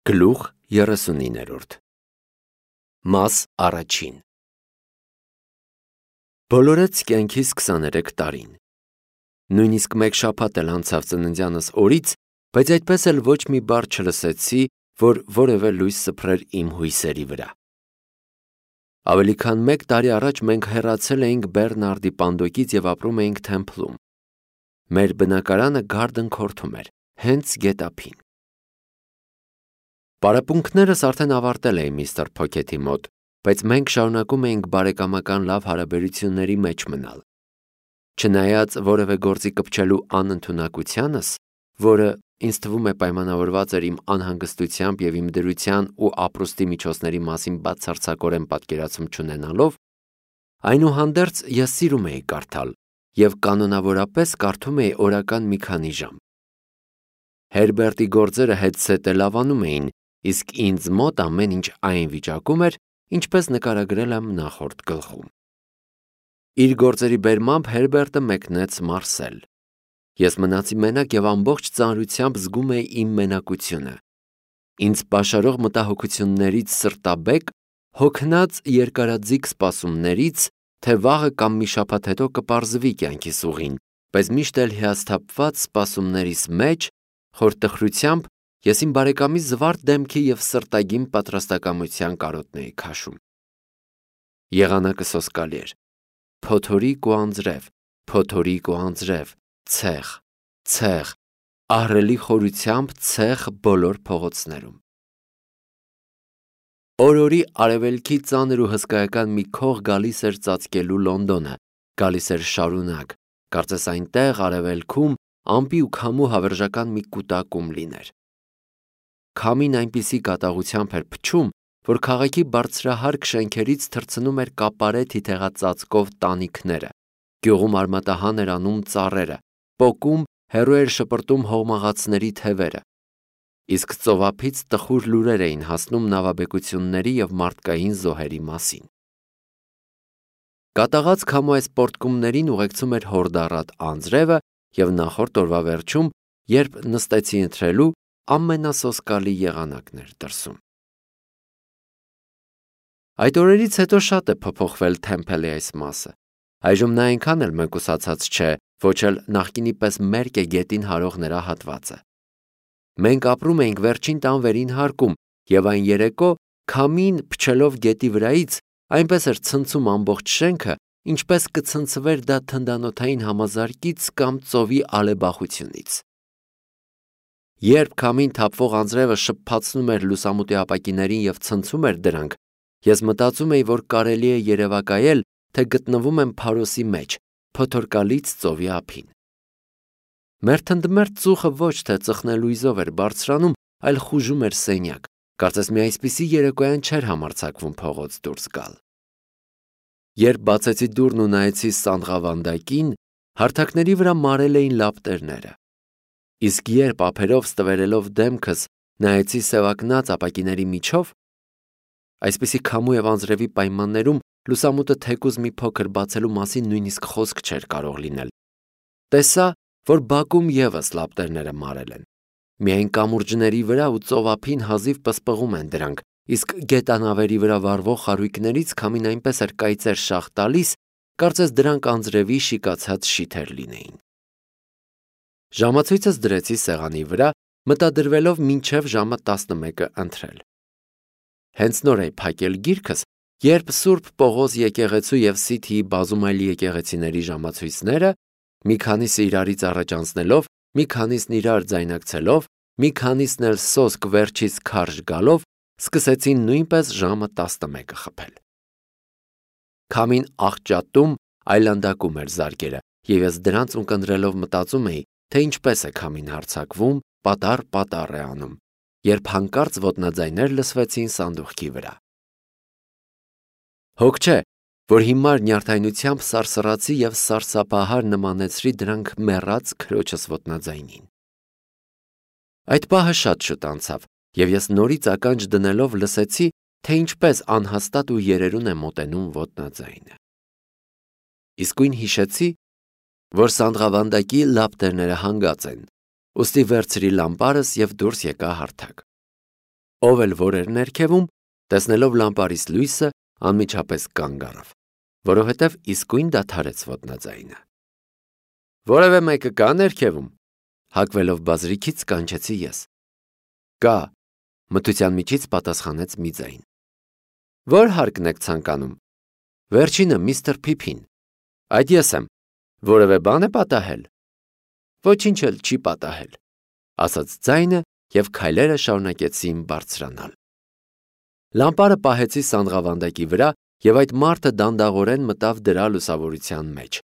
Գլուխ 39 Մաս առաջին Բոլորեց կյանքիս 23 տարին։ Նույնիսկ մեկ շաբաթ էլ անցավ ծննդյանս օրից, բայց այդպես էլ ոչ մի բառ չլսեցի, որ որևէ լույս սփռեր իմ հույսերի վրա։ Ավելի քան մեկ տարի առաջ մենք հեռացել էինք Բեռնարդի պանդոկից և ապրում էինք Թեմփլում։ Մեր բնակարանը Garden Court-ում էր, հենց գետափին։ Պարապմունքներս արդեն ավարտել էի միստր Փոքեթի մոտ, բայց մենք շարունակում էինք բարեկամական լավ հարաբերությունների մեջ մնալ։ Չնայած որևէ գործի կպչելու անընդունակությանս, որը ինձ թվում է պայմանավորված էր իմ անհանգստությամբ և իմ դրության ու ապրուստի միջոցների մասին բացարձակորեն պատկերացում չունենալով, այնուհանդերձ ես սիրում էի կարդալ և կանոնավորապես կարդում էի օրական մի քանի ժամ։ Հերբերտի գործերը հետզհետե լավանում էին, իսկ ինձ մոտ ամեն ինչ այն վիճակում էր, ինչպես նկարագրել եմ նախորդ գլխում։ Իր գործերի բերմամբ Հերբերտը մեկնեց Մարսել։ Ես մնացի մենակ և ամբողջ ծանրությամբ զգում էի իմ մենակությունը։ Ինձ պաշարող մտահոգություններից սրտաբեկ, հոգնած երկարաձիգ սպասումներից, թե վաղը կամ մի շաբաթ հետո կպարզվի կյանքիս ուղին, բայց միշտ էլ հիասթափված սպասումներիս մեջ, խորտխրությամբ ես իմ բարեկամի զվարթ դեմքի և սրտագին պատրաստակամության կարոտն էի քաշում։ Եղանակը սոսկալի էր։ Փոթորիկ ու անձրև, փոթորիկ ու անձրև, ցեղ, ցեղ, ահռելի խորությամբ ցեղ բոլոր փողոցներում։ Օր-օրի արևելքի ծանր ու հսկայական մի քող գալիս էր ծածկելու Լոնդոնը, գալիս էր շարունակ, կարծես այնտեղ արևելքում ամպի ու քամու հավերժական մի կուտակում լիներ։ Քամին այնպիսի կատաղությամբ էր փչում, որ քաղաքի բարձրահարկ շենքերից թռցնում էր կապարե թիթեղածածկով տանիքները, գյուղում արմատահան էր անում ծառերը, պոկում հեռու էր շպրտում հողմաղացների թևերը, իսկ ծովափից տխուր լուրեր էին հասնում նավաբեկությունների և մարդկային զոհերի մասին։ Կատաղած քամու այս պոռթկումներին ուղեկցում էր հորդառատ անձրևը և նախորդ օրվա վերջում, երբ նստեցի ընթրելու, ամենասոսկալի եղանակն էր դրսում։ Այդ օրերից հետո շատ է փոփոխվել Թեմփլի այս մասը։ Այժմ նա այնքան էլ մեկուսացած չէ, ոչ էլ նախկինի պես մերկ է գետին հարող նրա հատվածը։ Մենք ապրում էինք վերջին տան վերին հարկում, և այն երեկո, քամին փչելով գետի վրայից, այնպես էր ցնցում ամբողջ շենքը, ինչպես կցնցվեր դա թնդանոթային համազարկից կամ ծովի ալեբախությունից։ Երբ քամին թափվող անձրևը շփփացնում էր լուսամուտի ապակիներին և ցնցում էր դրանք, ես մտածում էի, որ կարելի է երևակայել, թե գտնվում եմ Փարոսի մեջ, փոթորկալից ծովի ափին։ Մեր թնդմերթ ծուխը ոչ թե ծխնելույզով էր բարձրանում, այլ խուժում էր սենյակ, կարծես մի այսպիսի երեկոյան չէր համարձակվում փողոց դուրս գալ։ Երբ բացեցի դուռն ու նայեցի սանդղավանդակին, հարթակների վրա մարել էին լապտերները։ Իսկ երբ ափերով ստվերելով դեմքս նայեցի սևակնած ապակիների միջով, այսպիսի քամու և անձրևի պայմաններում լուսամուտը թեկուզ մի փոքր բացելու մասին նույնիսկ խոսք չէր կարող լինել, տեսա, որ բակում ևս լապտերները մարել են։ Միայն կամուրջների վրա ու ծովափին հազիվ պսպղում են դրանք, իսկ գետանավերի վրա վառվող խարույկներից քամին այնպես էր կայծեր շաղ տալիս, կարծես դրանք անձրևի շիկացած շիթեր լինեին։ Ժամացույցս դրեցի սեղանի վրա, մտադրվելով մինչև ժամը 11-ը ընթրել։ Հենց նոր էի փակել գիրքս, երբ Սուրբ Պողոս եկեղեցու և Սիթիի բազում այլ եկեղեցիների ժամացույցները, մի քանիսը իրարից առաջ անցնելով, մի քանիսն իրար ձայնակցելով, մի քանիսն էլ սոսկ վերջից քարշ գալով, սկսեցին նույնպես ժամը 11-ը խփել։ Քամին աղճատում, այլանդակում էր զարկերը, և ես դրանց ունկնդրելով մտածում էի, թե ինչպես է քամին հարձակվում, պատառ է անում, երբ հանկարծ ոտնաձայներ լսվեցին սանդուղքի վրա։ Հոգ չէ, որ հիմար նյարդայնությամբ սարսռացի և սարսափահար նմանեցրի դրանք մեռած քրոջս ոտնաձայնին։ Այդ պահը շատ շուտ անցավ, և ես նորից ականջ դնելով լսեցի, թե ինչպես անհաստատ ու երերուն է մոտենում ոտնաձայնը։ Իսկույն հիշեցի, որ սանդղավանդակի լապտերները հանգած են, ուստի վերցրի լամպարս և դուրս եկա հարթակ։ Ով էլ որ էր ներքևում, տեսնելով լամպարից լույսը, անմիջապես կանգ առավ, որովհետև իսկույն դադարեց ոտնաձայնը։ Որևէ մեկը կա ներքևում, հագվելով բազրիքից կանչեցի ես։ Կա, մթության միջից պատասխանեց մի ձայն։ Որ հարկն եք ցանկանում։ Վերջինը միստր Փիփին։ Այդ ես եմ։ Որևէ բան է պատահել։ Ոչինչ էլ չի պատահել, ասաց ձայնը և քայլերը շարունակեցին բարձրանալ։ Լամպարը պահեցի սանդղավանդակի վրա և այդ մարդը դանդաղորեն մտավ դրա լուսավորության մեջ։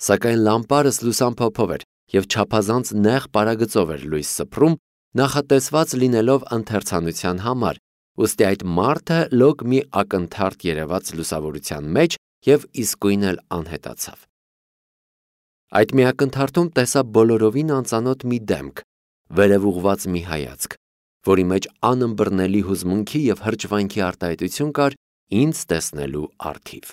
Սակայն լամպարս լուսամփոփով էր և չափազանց նեղ պարագծով էր լույս սփռում, նախատեսված լինելով ընթերցանության համար, ուստի այդ մարդը լոկ մի ակնթարթ երևաց լուսավորության մեջ և իսկույն էլ անհետացավ։ Այդ մի ակնթարթում տեսա բոլորովին անծանոթ մի դեմք, վերև ուղղված մի հայացք, որի մեջ անըմբռնելի հուզմունքի և հրճվանքի արտահայտություն կար ինձ տեսնելու առթիվ։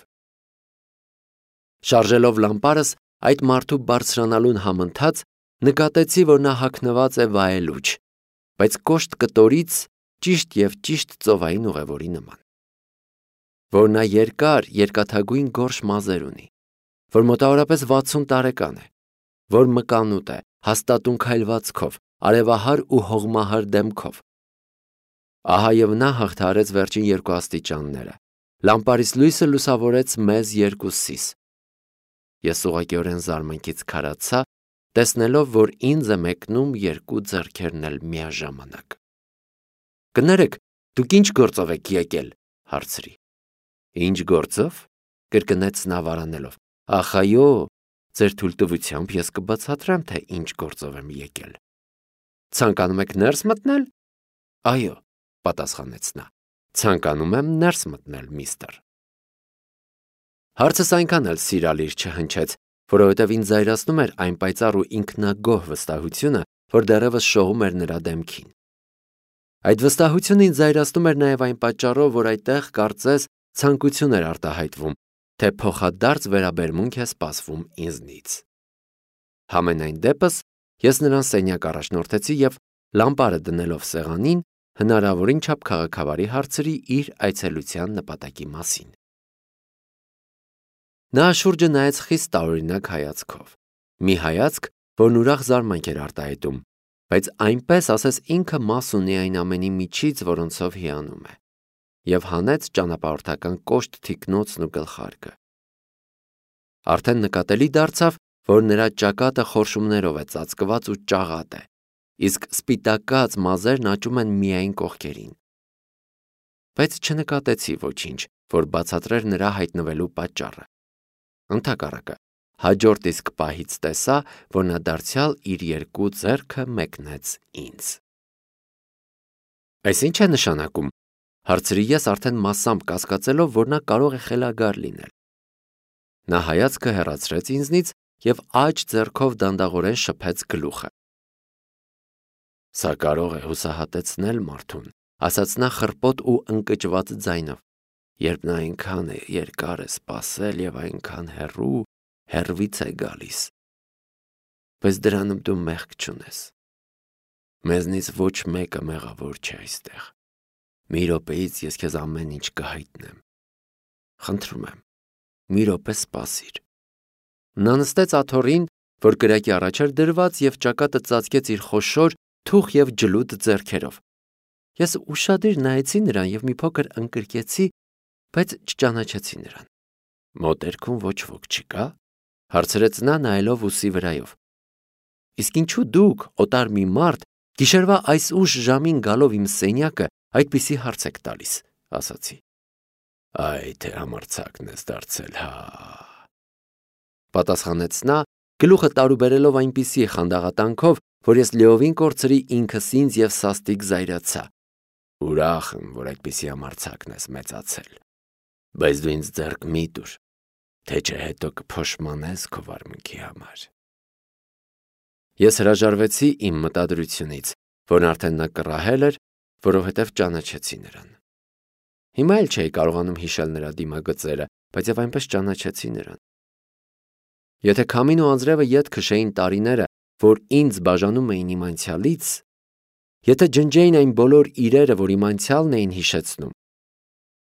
Շարժելով լամպարս այդ մարդու բարձրանալուն համընթաց, նկատեցի, որ նա հագնված է վայելուչ, բայց կոշտ կտորից ճիշտ և ճիշտ ծովային ուղևորի նման, որ նա երկաթագույն գորշ մազեր ունի, որ մոտավորապես 60 տարեկան է, որ մկանուտ է, հաստատուն քայլվածքով, արևահար ու հողմահար դեմքով։ Ահա և նա հաղթահարեց վերջին երկու աստիճանները, լամպարից լույսը լուսավորեց մեզ երկուսիս։ Ես ուղղակիորեն զարմանքից քարացա, տեսնելով, որ ինձ է մեկնում երկու ձեռքերն էլ միաժամանակ։ Կներեք, դուք ինչ գործով եք եկել, հարցրի։ Ինչ գործով, կրկնեց նա վարանելով։ Ախ, այո, ձեր թույլտվությամբ ես կբացատրեմ, թե ինչ գործով եմ եկել։ Ցանկանում եք ներս մտնել։ Այո, պատասխանեց նա։ Ցանկանում եմ ներս մտնել, միստր։ Հարցս այնքան էլ սիրալիր չհնչեց, որովհետև ինձ զայրացնում էր այն պայծառ ու ինքնագոհ վստահությունը, որ դեռևս շողում էր նրա դեմքին։ Այդ վստահությունը ինձ զայրացնում էր նաև այն պատճառով, որ այդտեղ կարծես ցանկություն էր արտահայտվում, թե փոխադարձ վերաբերմունք է սպասվում ինձնից։ Համենայն դեպս, ես նրան սենյակ առաջնորդեցի և լամպարը դնելով սեղանին, հնարավորին չափ քաղաքավարի հարցրի իր այցելության նպատակի մասին։ Նա շուրջը նայեց խիստ տարօրինակ հայացքով, մի հայացք, որն ուրախ զարմանք էր արտահայտում, բայց այնպես, ասես ինքը մաս ունի այն ամենի միջից, որոնցով հիանում է, և հանեց ճանապարհորդական կոշտ թիկնոցն ու գլխարկը։ Արդեն նկատելի դարձավ, որ նրա ճակատը խորշումներով է ծածկված ու ճաղատ է, իսկ սպիտակած մազերն աճում են միայն կողքերին։ Բայց չնկատեցի ոչինչ, որ բացատրեր նրա հայտնվելու պատճառը։ Ընդհակառակը, հաջորդ իսկ պահից տեսա, որ նա դարձյալ իր երկու ձեռքը մեկնեց ինձ։ Այս ինչ է նշանակում, հարցրի ես արդեն մասամբ կասկածելով, որ նա կարող է խելագար լինել։ Նա հայացքը հեռացրեց ինձնից և աջ ձեռքով դանդաղորեն շփեց գլուխը։ Սա կարող է հուսահատեցնել մարդուն, ասաց նա խռպոտ ու ընկճված ձայնով, երբ նա այնքան երկար է սպասել և այնքան հեռվից է գալիս։ Բայց դրանում դու մեղք չունես։ Մեզնից ոչ մեկը մեղավոր չէ այստեղ։ Մի րոպեից ես քեզ ամեն ինչ կհայտնեմ։ Խնդրում եմ, մի րոպե սպասիր։ Նա նստեց աթոռին, որ կրակի առաջ էր դրված, և ճակատը ծածկեց իր խոշոր, թուխ և ջլուդ ձեռքերով։ Ես ուշադիր նայեցի նրան և մի փոքր ընկրկեցի, բայց չճանաչեցի նրան։ Մոտերքում ոչ ոք չկա, հարցրեց նա նայելով ուսի վրայով։ Իսկ ինչու դուք, օտար մի մարդ, գիշերվա այս ուշ ժամին գալով իմ սենյակը այդպիսի հարց եք տալիս, ասացի։ Այ թե համարձակն ես դարձել, հա, պատասխանեց նա, գլուխը տարուբերելով այնպիսի խանդաղատանքով, որ ես լիովին կորցրի ինքս ինձ և սաստիկ զայրացա։ Ուրախ եմ, որ այդպիսի համարձակն ես մեծացել, բայց դու ինձ ձեռք մի տուր, թե չէ հետո կփոշմանես քո վարմունքի համար։ Ես հրաժարվեցի իմ մտադրությունից, որն արդեն նա կռահել էր, որովհետև ճանաչեցի նրան։ Հիմա էլ չէի կարողանում հիշել նրա դիմագծերը, բայց և այնպես ճանաչեցի նրան։ Եթե քամին ու անձրևը ետ քշեին տարիները, որ ինձ բաժանում էին իմ անցյալից, Եթե ջնջեին այն բոլոր իրերը, որ իմ անցյալն էին հիշեցնում,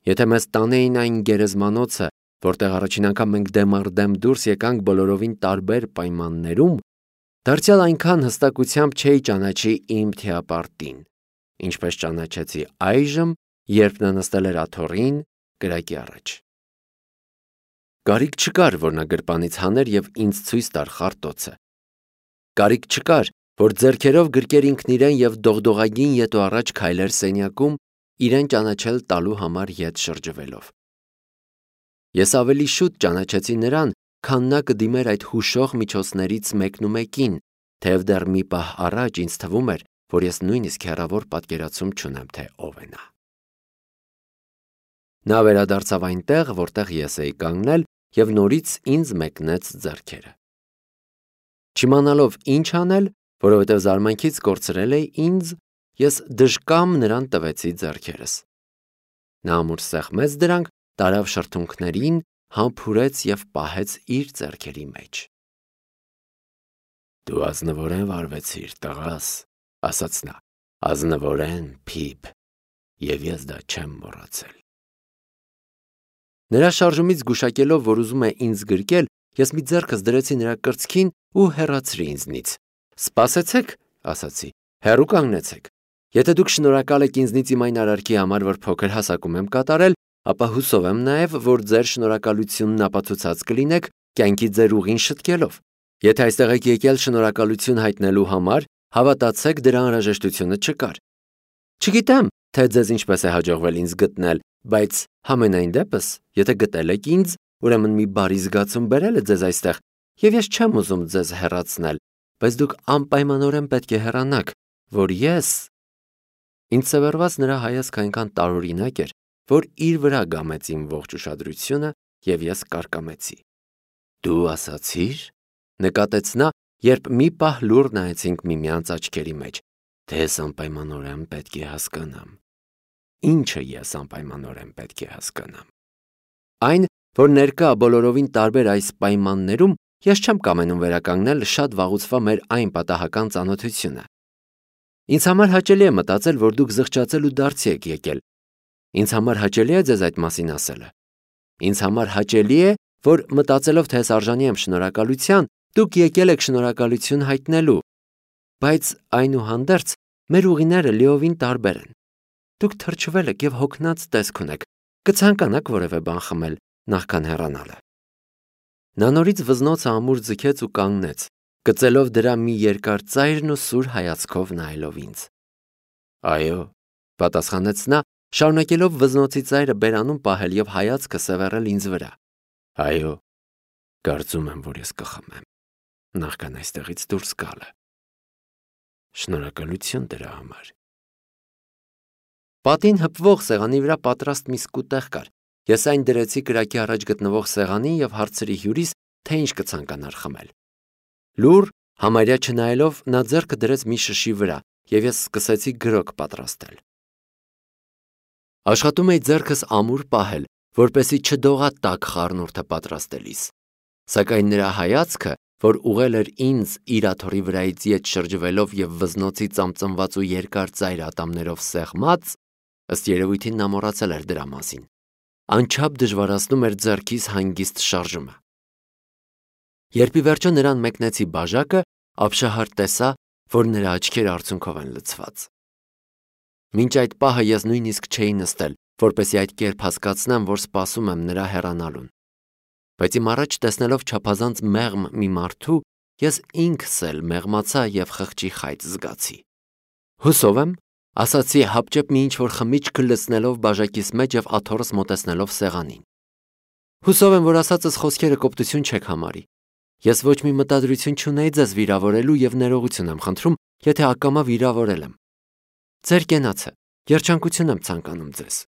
եթե մեզ տանեին այն գերեզմանոցը, որտեղ առաջին անգամ մենք դեմ առ դեմ դուրս եկանք բոլորովին տարբեր պայմաններում, դարձյալ այնքան հստակությամբ չէի ճանաչի իմ թիապարտին, ինչպես ճանաչեցի այժմ, երբ նա նստել էր աթոռին կրակի առաջ։ Կարիք չկար, որ նա գրպանից հաներ և ինձ ցույց տար խարտոցը։ Կարիք չկար, որ ձեռքերով գրկեր ինքն իրեն և դողդողագին ետո առաջ քայլեր սենյակում, իրեն ճանաչել տալու համար ետ շրջվելով։ Ես ավելի շուտ ճանաչեցի նրան, քան նա կդիմեր այդ հուշող միջոցներից մեկնումեկին, թեև դեռ մի պահ առաջ ինձ թվում էր, որ ես նույնիսկ հեռավոր պատկերացում չունեմ, թե ով է նա։ Նա վերադարձավ այնտեղ, որտեղ ես էի կանգնել, և նորից ինձ մեկնեց ձեռքերը։ Չիմանալով ինչ անել, որովհետև զարմանքից կորցրել էի ինձ, ես դժկամ նրան տվեցի ձեռքերս։ Նա ամուր սեղմեց դրանք, տարավ շրթունքներին, համբուրեց և պահեց իր ձեռքերի մեջ։ Դու ազնվորեն վարվեցիր, տղաս, ասաց նա, ազնվորեն, Փիփ, և ես դա չեմ մոռացել։ Նրա շարժումից զգուշակելով, որ ուզում է ինձ գրկել, ես մի ձեռքս դրեցի նրա կրծքին ու հեռացրի ինձնից։ Սպասեցեք, ասացի, հեռու կանգնեցեք։ Եթե դուք շնորհակալ եք ինձնից իմ այն արարքի համար, որ փոքր հասակում եմ կատարել, ապա հուսով եմ նաև, որ ձեր շնորհակալությունն ապացուցած կլինեք կյանքի ձեր ուղին շտկելով։ Եթե այստեղ եք եկել շնորհակալություն հայտնելու համար, հավատացեք, դրա անհրաժեշտությունը չկար։ Չգիտեմ, թե ձեզ ինչպես է հաջողվել ինձ գտնել, բայց համենայն դեպս, եթե գտել եք ինձ, ուրեմն մի բարի զգացում բերել է ձեզ այստեղ, և ես չեմ ուզում ձեզ հեռացնել, բայց դուք անպայմանորեն պետք է հեռանաք, որ ես… Ինձ սևեռված նրա հայացքը այնքան տարօրինակ էր, որ իր վրա գամեց իմ ողջ ուշադրությունը, և ես կարկամեցի։ Դու ասացիր, նկատեց նա, երբ մի պահ լուռ նայեցինք միմյանց աչքերի մեջ, թե ես անպայմանորեն պետք է հասկանամ։ Ինչը ես անպայմանորեն պետք է հասկանամ։ Այն, որ ներկա բոլորովին տարբեր այս պայմաններում ես չեմ կամենում վերականգնել շատ վաղուցվա մեր այն պատահական ծանոթությունը։ Ինձ համար հաճելի է մտածել, որ դուք զղջացել ու դարձի եք եկել։ Ինձ համար հաճելի է ձեզ այդ մասին ասելը։ Ինձ համար հաճելի է, որ մտածելով, թե ես արժանի եմ շնորհակալության, դուք եկել եք շնորհակալություն հայտնելու։ Բայց այնուհանդերձ մեր ուղիները լիովին տարբեր են։ Դուք թրջվել եք և հոգնած տեսք ունեք, կցանկանաք որևէ բան խմել, նախքան հեռանալը։ Նա նորից վզնոցը ամուր ձգեց ու կանգնեց, գծելով դրա մի երկար ծայրն ու սուր հայացքով նայելով ինձ։ Այո, պատասխանեց նա, շարունակելով վզնոցի ծայրը բերանում պահել և հայացքը սևեռել ինձ վրա։ Այո, կարծում եմ, որ ես կխմեմ, նախքան այստեղից դուրս գալը։ Շնորհակալություն դրա համար։ Պատին հպվող սեղանի վրա պատրաստ մի սկուտեղ կար։ Ես այն դրեցի կրակի առաջ գտնվող սեղանին և հարցրի հյուրիս, թե ինչ կցանկանար խմել։ Լուռ, համարյա չնայելով, նա ձեռքը դրեց մի շշի վրա, և ես սկսեցի գրոկ պատրաստել։ Աշխատում էի ձեռքս ամուր պահել, որպեսզի չդողա տաք խառնուրդը պատրաստելիս։ Սակայն նրա հայացքը, որ ուղղել էր ինձ իր աթոռի վրայից ետ շրջվելով և վզնոցի ծամծմված ու երկար ծայր ատամներով սեղմած, ըստ երևույթին նա մոռացել էր դրա մասին, անչափ դժվարացնում էր ձեռքիս հանգիստ շարժումը։ Երբ ի վերջո նրան մեկնեցի բաժակը, ապշահար տեսա, որ նրա աչքերը արցունքով են լցված։ Մինչ այդ պահը ես նույնիսկ չէի նստել, որպեսզի այդ կերպ հասկացնեմ, որ սպասում եմ նրա հեռանալուն։ Բայց իմ առաջ տեսնելով չափազանց մեղմ մի մարդու, ես ինքս էլ մեղմացա և խղճի խայծ զգացի։ Հուսով եմ, ասացի հապճեպ մի ինչ-որ խմիչք լցնելով բաժակիս մեջ և աթոռս մոտեցնելով սեղանին։ Հուսով եմ, որ ասածս խոսքերը կոպտություն չեք համարի։ Ես ոչ մի մտադրություն չունեի ձեզ վիրավորելու և ներողություն եմ խնդրում, եթե ակամա վիրավորել եմ։ Ձեր կենացը, երջանկություն եմ ցանկանում ձեզ։